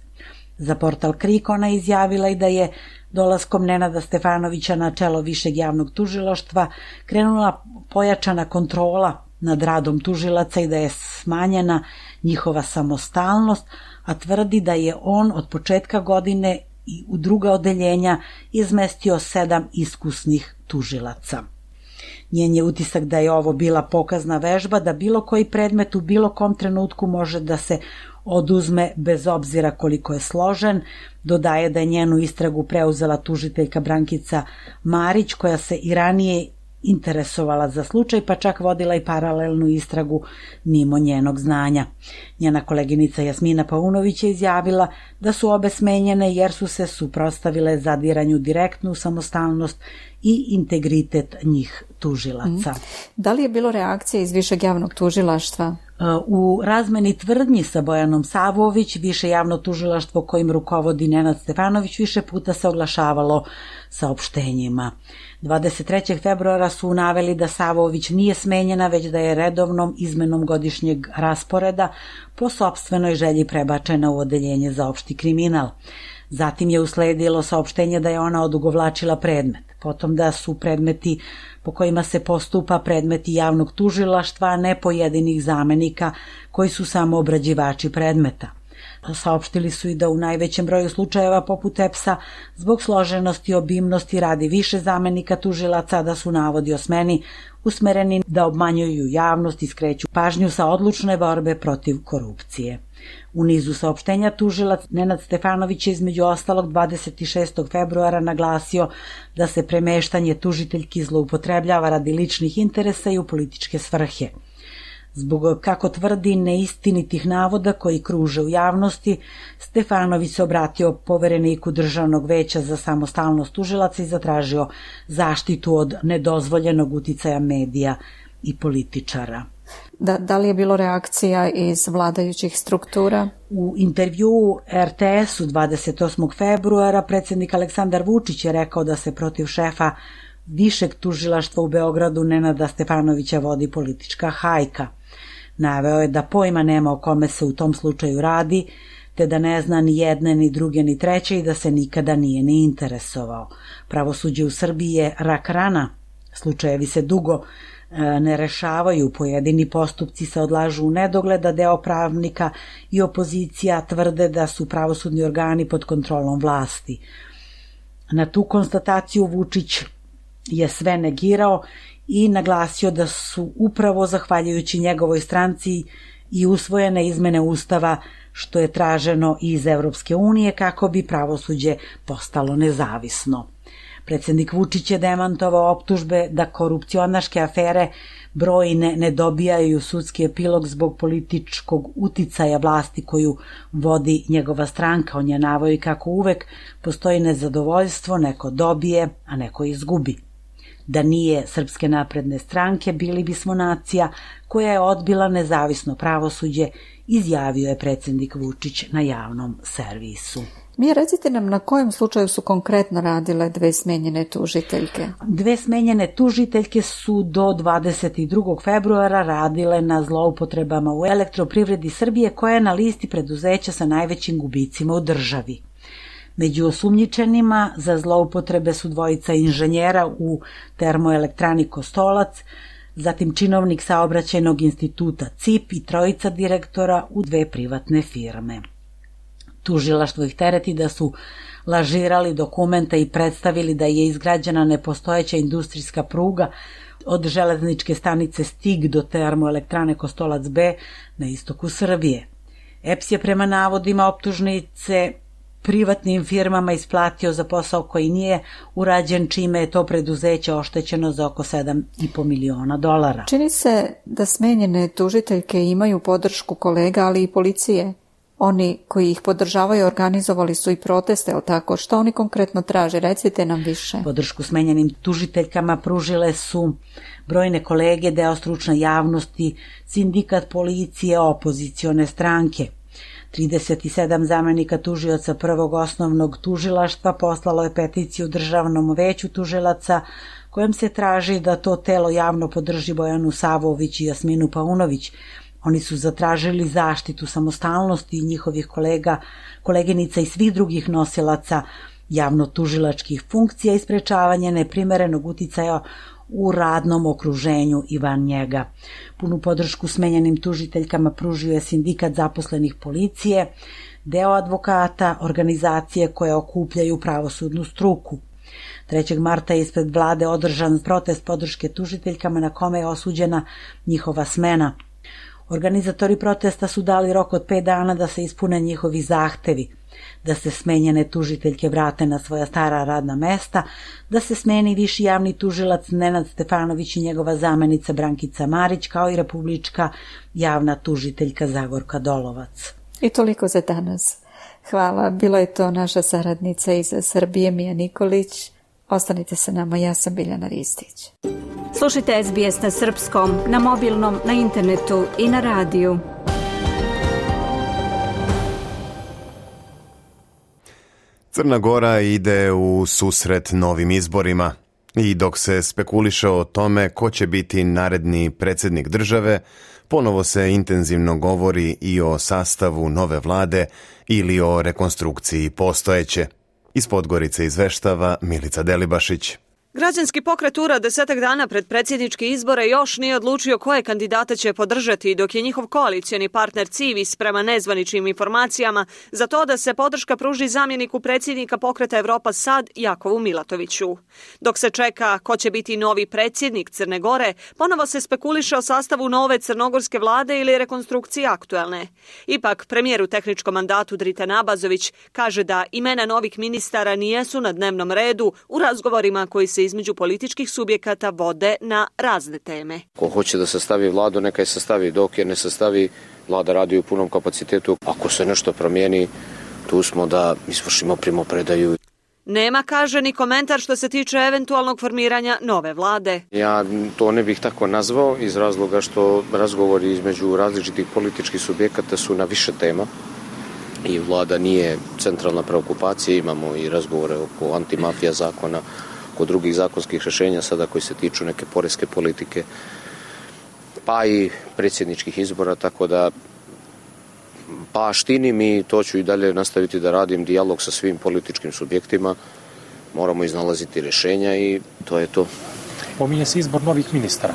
Za portal KRIK ona izjavila i da je dolaskom Nenada Stefanovića na čelo Višeg javnog tužilaštva krenula pojačana kontrola nad radom tužilaca i da je smanjena njihova samostalnost, a tvrdi da je on od početka godine i u druga odeljenja izmestio 7 iskusnih tužilaca. Njen je utisak da je ovo bila pokazna vežba, da bilo koji predmet u bilo kom trenutku može da se oduzme bez obzira koliko je složen. Dodaje da je njenu istragu preuzela tužiteljka Brankica Marić, koja se i ranije interesovala za slučaj, pa čak vodila i paralelnu istragu mimo njenog znanja. Njena koleginica Jasmina Paunović je izjavila da su obe smenjene jer su se suprotstavile zadiranju direktnu u samostalnost i integritet njih tužilaca. Da li je bilo reakcije iz Višeg javnog tužilaštva? U razmeni tvrdnji sa Bojanom Savović, Više javno tužilaštvo kojim rukovodi Nenad Stefanović više puta se oglašavalo saopštenjima. 23. februara su naveli da Savović nije smenjena, već da je redovnom izmenom godišnjeg rasporeda po sopstvenoj želji prebačena u odeljenje za opšti kriminal. Zatim je usledilo saopštenje da je ona odugovlačila predmet, potom da su predmeti po kojima se postupa predmeti javnog tužilaštva, a ne pojedinih zamenika koji su samo obrađivači predmeta. Saopštili su i da u najvećem broju slučajeva poput EPS-a zbog složenosti i obimnosti radi više zamenika tužilaca, da su navodi o smeni usmereni da obmanjuju javnost i skreću pažnju sa odlučne borbe protiv korupcije. U nizu saopštenja tužilac Nenad Stefanović je između ostalog 26. februara naglasio da se premeštanje tužiteljki zloupotrebljava radi ličnih interesa i u političke svrhe. Zbog, kako tvrdi, neistinitih navoda koji kruže u javnosti, Stefanović se obratio povereniku Državnog veća za samostalnost tužilaca i zatražio zaštitu od nedozvoljenog uticaja medija i političara. Da li je bilo reakcija iz vladajućih struktura? U intervjuu RTS-u 28. februara predsjednik Aleksandar Vučić je rekao da se protiv šefa Višeg tužilaštva u Beogradu Nenada Stefanovića vodi politička hajka. Naveo je da pojma nema o kome se u tom slučaju radi, te da ne zna ni jedne, ni druge, ni treće i da se nikada nije ni interesovao. Pravosuđe u Srbiji je rak rana, slučajevi se dugo ne rešavaju, pojedini postupci se odlažu u nedogled, a deo pravnika i opozicija tvrde da su pravosudni organi pod kontrolom vlasti. Na tu konstataciju Vučić je sve negirao i naglasio da su upravo zahvaljujući njegovoj stranci i usvojene izmene Ustava, što je traženo iz Evropske unije kako bi pravosuđe postalo nezavisno. Predsjednik Vučić je demantovao optužbe da korupcionaške afere brojne ne dobijaju sudski epilog zbog političkog uticaja vlasti koju vodi njegova stranka. On je naveo kako uvek postoji nezadovoljstvo, neko dobije, a neko izgubi. Da nije Srpske napredne stranke, bili bismo nacija koja je odbila nezavisno pravosuđe, izjavio je predsjednik Vučić na javnom servisu. Recite nam na kojem slučaju su konkretno radile dve smenjene tužiteljke? Dve smenjene tužiteljke su do 22. februara radile na zloupotrebama u Elektroprivredi Srbije, koja je na listi preduzeća sa najvećim gubicima u državi. Među osumnjičenima za zloupotrebe su dvojica inženjera u termoelektrani Kostolac, zatim činovnik saobraćajnog instituta CIP i trojica direktora u dve privatne firme. Tužilaštvo ih tereti da su lažirali dokumenta i predstavili da je izgrađena nepostojeća industrijska pruga od železničke stanice Stig do termoelektrane Kostolac B na istoku Srbije. EPS je prema navodima optužnice privatnim firmama isplatio za posao koji nije urađen, čime je to preduzeće oštećeno za oko $7,5 miliona. Čini se da smenjene tužiteljke imaju podršku kolega, ali i policije. Oni koji ih podržavaju organizovali su i proteste, ali tako? Što oni konkretno traže? Recite nam više. Podršku smenjenim tužiteljkama pružile su brojne kolege, deo stručne javnosti, sindikat policije, opozicione stranke. 37 zamenika tužioca prvog osnovnog tužilaštva poslalo je peticiju Državnom veću tužilaca kojem se traži da to telo javno podrži Bojanu Savović i Jasminu Paunović. Oni su zatražili zaštitu samostalnosti njihovih kolega, koleginica i svih drugih nosilaca javno-tužilačkih funkcija i sprečavanje neprimerenog uticaja u radnom okruženju i van njega. Punu podršku smenjenim tužiteljkama pružio je sindikat zaposlenih policije, deo advokata, organizacije koje okupljaju pravosudnu struku. 3. marta je ispred vlade održan protest podrške tužiteljkama na kome je osuđena njihova smena. Organizatori protesta su dali rok od 5 dana da se ispune njihovi zahtevi, da se smenjene tužiteljke vrate na svoja stara radna mesta, da se smeni viši javni tužilac Nenad Stefanović i njegova zamenica Brankica Marić, kao i republička javna tužiteljka Zagorka Dolovac. I toliko za danas. Hvala. Bila je to naša saradnica iz Srbije, Mija Nikolić. Ostanite sa nama, ja sam Biljana Ristić. Slušajte SBS na srpskom, na mobilnom, na internetu i na radiju. Crna Gora ide u susret novim izborima i dok se spekuliše o tome ko će biti naredni predsjednik države, ponovo se intenzivno govori i o sastavu nove vlade ili o rekonstrukciji postojeće. Iz Podgorice izveštava Milica Delibašić. Građanski pokret URA 10 dana pred predsjedničke izbore još nije odlučio koje kandidate će podržati, dok je njihov koalicioni partner Civis prema nezvaničnim informacijama za to da se podrška pruži zamjeniku predsjednika pokreta Evropa Sad Jakovu Milatoviću. Dok se čeka ko će biti novi predsjednik Crne Gore, ponovo se spekuliše o sastavu nove crnogorske vlade ili rekonstrukciji aktuelne. Ipak, premijer u tehničkom mandatu Dritan Abazović kaže da imena novih ministara nijesu na dnevnom redu u razgovorima koji se između političkih subjekata vode na razne teme. Ko hoće da sastavi vladu, neka je sastavi, dok je ne sastavi, vlada radi u punom kapacitetu. Ako se nešto promijeni, tu smo da izvršimo primopredaju. Nema, kaže, ni komentar što se tiče eventualnog formiranja nove vlade. Ja to ne bih tako nazvao iz razloga što razgovori između različitih političkih subjekata su na više tema i vlada nije centralna preokupacija. Imamo i razgovore oko antimafija zakona, oko drugih zakonskih rješenja sada koji se tiču neke poreske politike, pa i predsjedničkih izbora, tako da štinim i to ću i dalje nastaviti da radim, dijalog sa svim političkim subjektima, moramo iznalaziti rješenja i to je to. Pominje se izbor novih ministara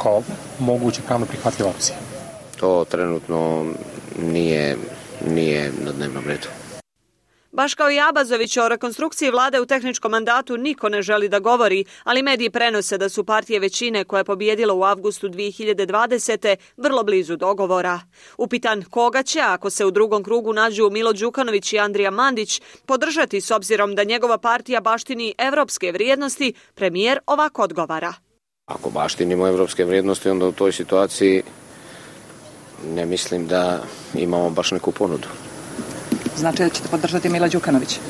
kao moguće pravno prihvatljiva opcija. To trenutno nije na dnevnom redu. Baš kao i Abazović, o rekonstrukciji vlade u tehničkom mandatu niko ne želi da govori, ali mediji prenose da su partije većine koja je pobijedila u avgustu 2020. vrlo blizu dogovora. Upitan koga će, ako se u drugom krugu nađu Milo Đukanović i Andrija Mandić, podržati s obzirom da njegova partija baštini evropske vrijednosti, premijer ovako odgovara. Ako baštinimo evropske vrijednosti, onda u toj situaciji ne mislim da imamo baš neku ponudu. Znači da ćete podržati Mila Đukanovića?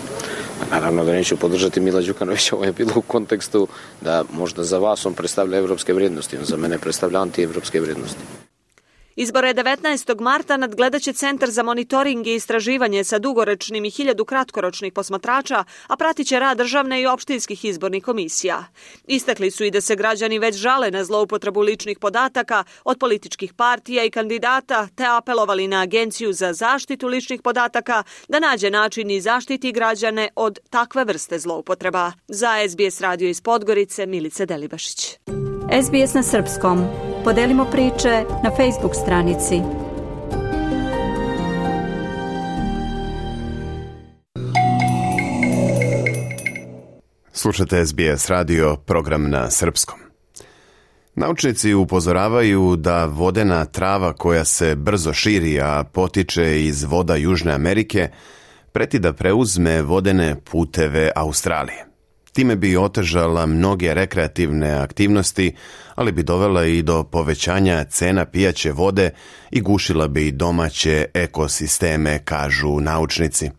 Naravno da neću podržati Mila Đukanovića, ovo je bilo u kontekstu da možda za vas on predstavlja evropske vrijednosti, on za mene predstavlja antievropske vrijednosti. Izbore 19. marta nadgledat će Centar za monitoring i istraživanje sa dugoročnim i 1000 kratkoročnih posmatrača, a pratit će rad državne i opštinskih izbornih komisija. Istakli su i da se građani već žale na zloupotrebu ličnih podataka od političkih partija i kandidata, te apelovali na Agenciju za zaštitu ličnih podataka da nađe način i zaštiti građane od takve vrste zloupotreba. Za SBS radio iz Podgorice, Milica Delibašić. SBS na srpskom. Podelimo priče na Facebook stranici. Slušate SBS radio, program na srpskom. Naučnici upozoravaju da vodena trava koja se brzo širi, a potiče iz voda Južne Amerike, preti da preuzme vodene puteve Australije. Time bi otežala mnoge rekreativne aktivnosti, ali bi dovela i do povećanja cena pijaće vode i gušila bi domaće ekosisteme, kažu naučnici.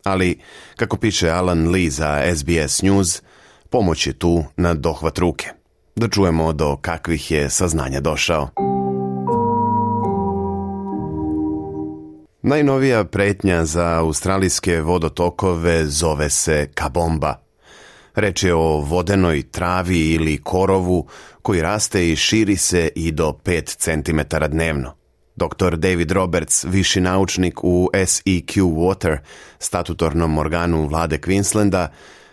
Ali, kako piše Alan Lee za SBS News, pomoć je tu na dohvat ruke. Da čujemo do kakvih je saznanja došao. Najnovija pretnja za australijske vodotokove zove se kabomba. Reč je o vodenoj travi ili korovu koji raste i širi se i do 5 cm dnevno. Dr. David Roberts, viši naučnik u SEQ Water, statutornom organu vlade Queenslanda,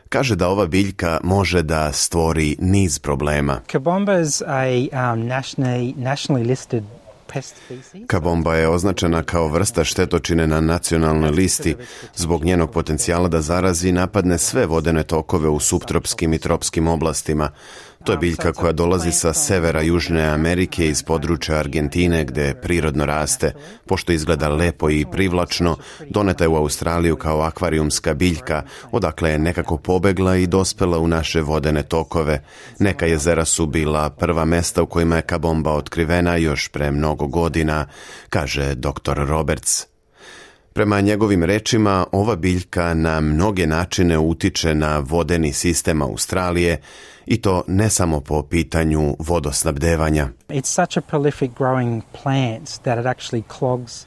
kaže da ova biljka može da stvori niz problema. Kabomba is a nationally listed pest species. Kabomba je označena kao vrsta štetočine na nacionalnoj listi zbog njenog potencijala da zarazi i napadne sve vodene tokove u suptropskim i tropskim oblastima. To je biljka koja dolazi sa severa Južne Amerike iz područja Argentine gde prirodno raste. Pošto izgleda lepo i privlačno, doneta je u Australiju kao akvarijumska biljka, odakle je nekako pobegla i dospela u naše vodene tokove. Neka jezera su bila prva mesta u kojima je kabomba otkrivena još pre mnogo godina, kaže dr. Roberts. Prema njegovim rečima, ova biljka na mnoge načine utiče na vodeni sistem Australije i to ne samo po pitanju vodosnabdevanja. It's such a prolific growing plant that it actually clogs.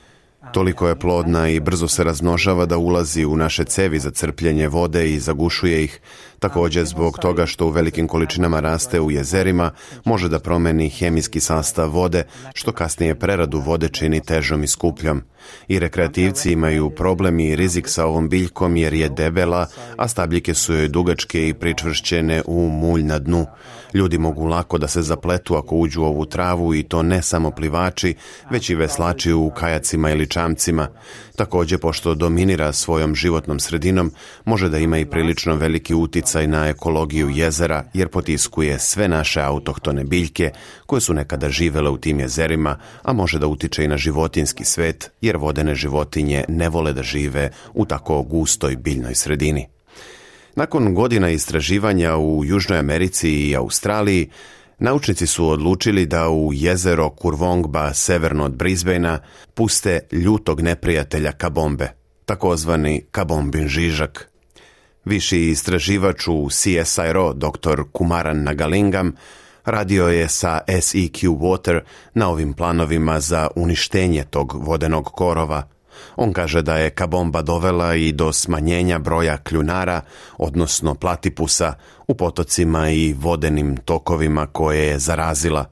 Toliko je plodna i brzo se razmnožava da ulazi u naše cevi za crpljenje vode i zagušuje ih. Također zbog toga što u velikim količinama raste u jezerima, može da promeni hemijski sastav vode, što kasnije preradu vode čini težom i skupljom. I rekreativci imaju problem i rizik sa ovom biljkom jer je debela, a stabljike su joj dugačke i pričvršćene u mulj na dnu. Ljudi mogu lako da se zapletu ako uđu u ovu travu i to ne samo plivači, već i veslači u kajacima ili čamcima. Također, pošto dominira svojom životnom sredinom, može da ima i prilično veliki uticaj na ekologiju jezera jer potiskuje sve naše autohtone biljke koje su nekada živele u tim jezerima, a može da utiče i na životinjski svet jer vodene životinje ne vole da žive u tako gustoj biljnoj sredini. Nakon godina istraživanja u Južnoj Americi i Australiji, naučnici su odlučili da u jezero Kurvongba severno od Brisbanea puste ljutog neprijatelja kabombe, takozvani kabombin žižak. Viši istraživač u CSIRO, dr. Kumaran Nagalingam, radio je sa SEQ Water na ovim planovima za uništenje tog vodenog korova. On kaže da je kabomba dovela i do smanjenja broja kljunara, odnosno platipusa, u potocima i vodenim tokovima koje je zarazila.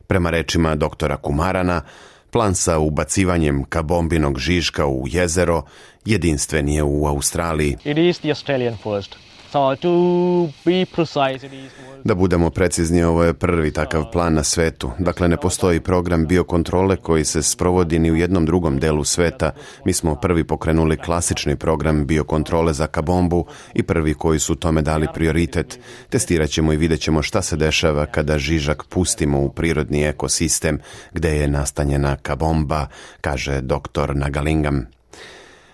Prema rečima doktora Kumarana, plan sa ubacivanjem kabombinog žižka u jezero jedinstven je u Australiji. It is the Australian first. So to be precise, it is... Da budemo precizni, ovo je prvi takav plan na svetu. Dakle, ne postoji program biokontrole koji se sprovodi ni u jednom drugom delu sveta. Mi smo prvi pokrenuli klasični program biokontrole za kabombu i prvi koji su tome dali prioritet. Testirat ćemo i vidjet ćemo šta se dešava kada žižak pustimo u prirodni ekosistem gde je nastanjena kabomba, kaže dr. Nagalingam.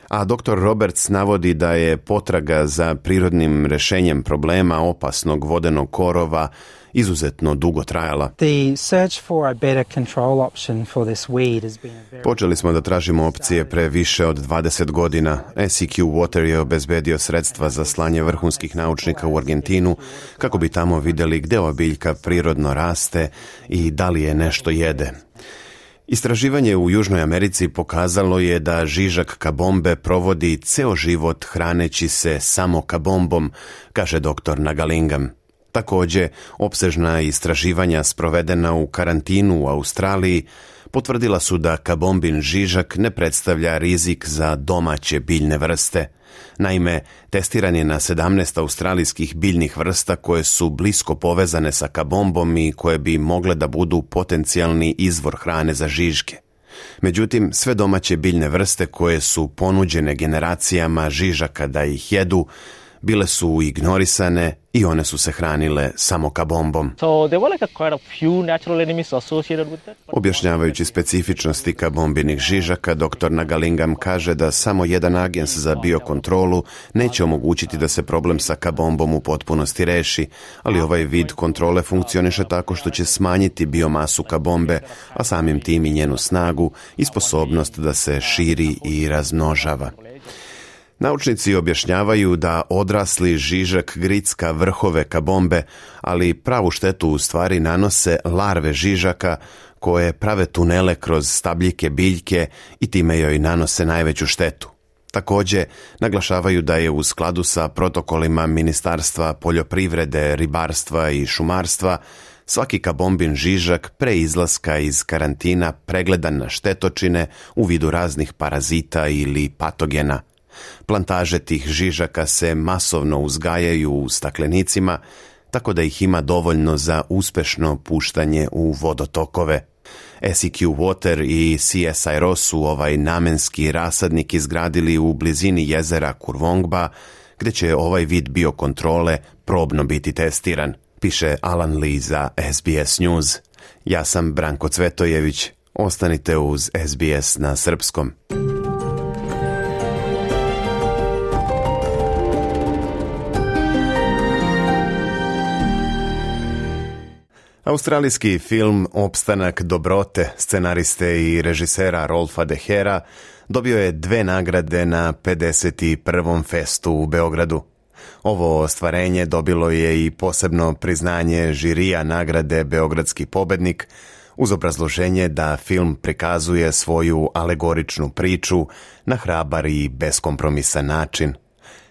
A dr. Roberts navodi da je potraga za prirodnim rešenjem problema opasnog vodenog korova izuzetno dugo trajala. Počeli smo da tražimo opcije pre više od 20 godina. SEQ Water je obezbedio sredstva za slanje vrhunskih naučnika u Argentinu kako bi tamo vidjeli gde ova biljka prirodno raste i da li je nešto jede. Istraživanje u Južnoj Americi pokazalo je da žižak kabombe provodi ceo život hraneći se samo kabombom, kaže dr. Nagalingam. Također, opsežna istraživanja sprovedena u karantinu u Australiji potvrdila su da kabombin žižak ne predstavlja rizik za domaće biljne vrste. Naime, testiran je na 17 australijskih biljnih vrsta koje su blisko povezane sa kabombom i koje bi mogle da budu potencijalni izvor hrane za žižke. Međutim, sve domaće biljne vrste koje su ponuđene generacijama žižaka da ih jedu, bile su ignorisane i one su se hranile samo kabombom. Objašnjavajući specifičnosti kabombinih žižaka, dr. Nagalingam kaže da samo jedan agens za biokontrolu neće omogućiti da se problem sa kabombom u potpunosti reši, ali ovaj vid kontrole funkcioniše tako što će smanjiti biomasu kabombe, a samim tim i njenu snagu i sposobnost da se širi i razmnožava. Naučnici objašnjavaju da odrasli žižak gricka vrhove kabombe, ali pravu štetu u stvari nanose larve žižaka koje prave tunele kroz stabljike biljke i time joj nanose najveću štetu. Također, naglašavaju da je u skladu sa protokolima Ministarstva poljoprivrede, ribarstva i šumarstva svaki kabombin žižak pre izlaska iz karantina pregledan na štetočine u vidu raznih parazita ili patogena. Plantaže tih žižaka se masovno uzgajaju u staklenicima, tako da ih ima dovoljno za uspešno puštanje u vodotokove. SEQ Water i CSIRO su ovaj namenski rasadnik izgradili u blizini jezera Kurvongba, gde će ovaj vid biokontrole probno biti testiran, piše Alan Lee za SBS News. Ja sam Branko Cvetojević. Ostanite uz SBS na srpskom. Australijski film Opstanak dobrote scenariste i režisera Rolfa De Hera dobio je 2 nagrade na 51. festu u Beogradu. Ovo ostvarenje dobilo je i posebno priznanje žirija nagrade Beogradski pobednik, uz obrazloženje da film prikazuje svoju alegoričnu priču na hrabar i beskompromisan način.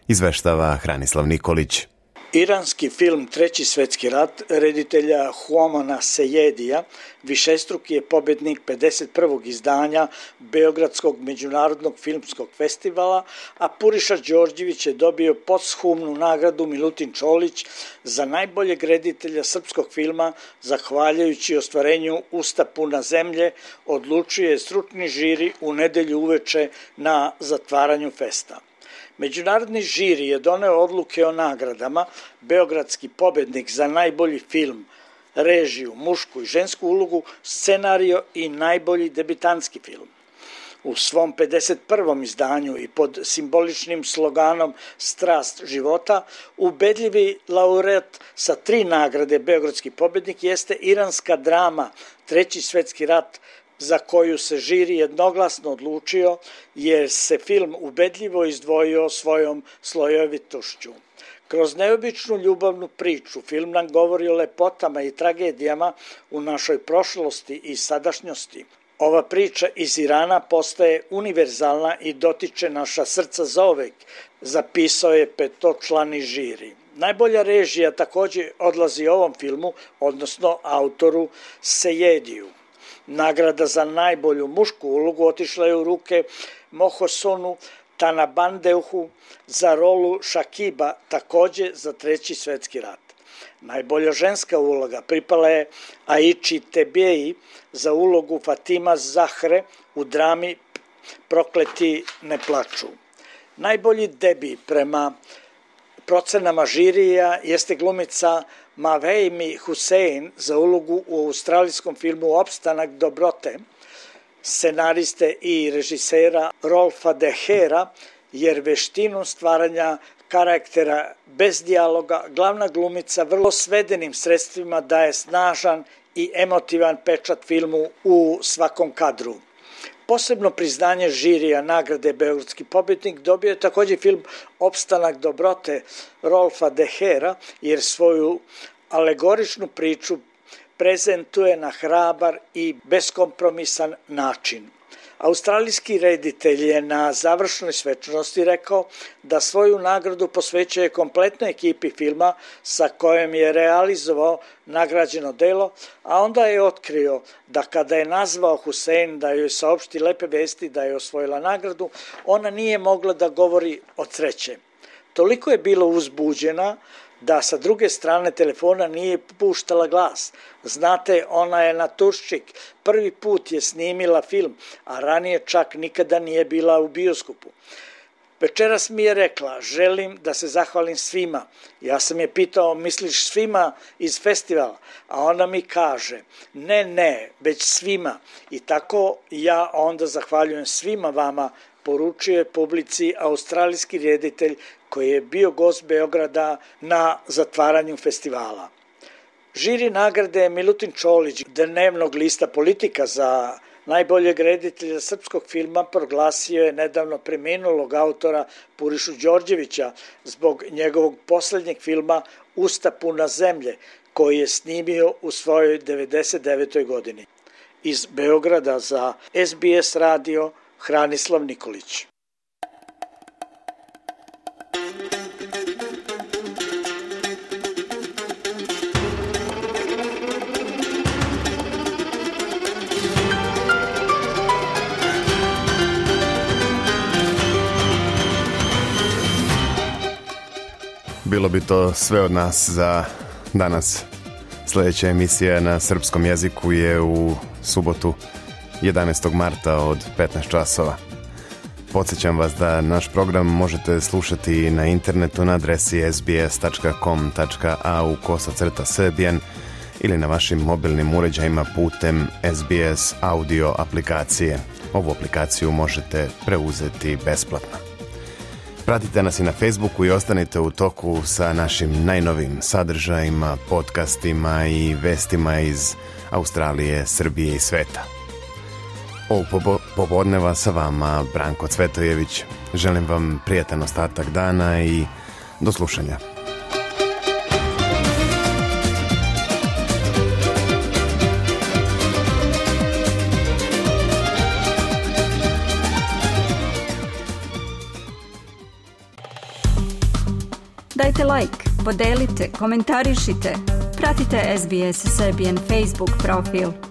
Izveštava Hranislav Nikolić. Iranski film Treći svetski rat reditelja Huamana Sejedija višestruki je pobednik 51. izdanja Beogradskog međunarodnog filmskog festivala, a Puriša Đorđević je dobio posthumnu nagradu Milutin Čolić za najboljeg reditelja srpskog filma, zahvaljujući ostvarenju Usta puna zemlje, odlučuje stručni žiri u nedelju uveče na zatvaranju festa. Međunarodni žiri je doneo odluke o nagradama, Beogradski pobednik za najbolji film, režiju, mušku i žensku ulogu, scenario i najbolji debitanski film. U svom 51. izdanju i pod simboličnim sloganom Strast života, ubedljivi laureat sa 3 nagrade Beogradski pobednik jeste iranska drama Treći svetski rat, za koju se žiri jednoglasno odlučio jer se film ubedljivo izdvojio svojom slojevitošću. Kroz neobičnu ljubavnu priču film nam govori o lepotama i tragedijama u našoj prošlosti i sadašnjosti. Ova priča iz Irana postaje univerzalna i dotiče naša srca zaovek, zapisao je 5-člani žiri. Najbolja režija takođe odlazi ovom filmu, odnosno autoru Sejediju. Nagrada za najbolju mušku ulogu otišla je u ruke Mohosonu Tanabandeuhu za rolu Šakiba, takođe za Treći svetski rat. Najbolja ženska uloga pripala je Aiči Tebjeji za ulogu Fatima Zahre u drami Prokleti ne plaču. Najbolji debi prema procenama žirija jeste glumica Mavejmi Husein za ulogu u australijskom filmu Opstanak dobrote, scenariste i režisera Rolfa De Hera, jer veštinu stvaranja karaktera bez dijaloga glavna glumica vrlo svedenim sredstvima daje snažan i emotivan pečat filmu u svakom kadru. Posebno priznanje žirija nagrade Beogradski pobednik dobio je takođe film Opstanak dobrote Rolfa De Hera, jer svoju alegoričnu priču prezentuje na hrabar i beskompromisan način. Australijski reditelj je na završnoj svečanosti rekao da svoju nagradu posvećuje kompletnoj ekipi filma sa kojom je realizovao nagrađeno delo, a onda je otkrio da kada je nazvao Husein da joj saopšti lepe vesti da je osvojila nagradu, ona nije mogla da govori od sreće. Toliko je bila uzbuđena da sa druge strane telefona nije puštala glas. Znate, ona je naturščik, prvi put je snimila film, a ranije čak nikada nije bila u bioskopu. Večeras mi je rekla, želim da se zahvalim svima. Ja sam je pitao, misliš svima iz festivala? A ona mi kaže, ne, već svima. I tako ja onda zahvaljujem svima vama, poručuje publici australijski reditelj koji je bio gost Beograda na zatvaranju festivala. Žiri nagrade Milutin Čolić dnevnog lista Politika za najboljeg reditelja srpskog filma proglasio je nedavno preminulog autora Purišu Đorđevića zbog njegovog poslednjeg filma Usta puna zemlje, koji je snimio u svojoj 99. godini. Iz Beograda za SBS radio Hranislav Nikolić. Bilo bi to sve od nas za danas. Sljedeća emisija na srpskom jeziku je u subotu 11. marta od 15 časova. Podsjećam vas da naš program možete slušati na internetu na adresi sbs.com.au/serbian ili na vašim mobilnim uređajima putem SBS audio aplikacije. Ovu aplikaciju možete preuzeti besplatno. Pratite nas i na Facebooku i ostanite u toku sa našim najnovim sadržajima, podcastima i vestima iz Australije, Srbije i sveta. Ovog popodneva sa vama Branko Cvetojević. Želim vam prijatan ostatak dana i do slušanja. Dajte like, podelite, komentarišite. Pratite SBS Serbian Facebook profil.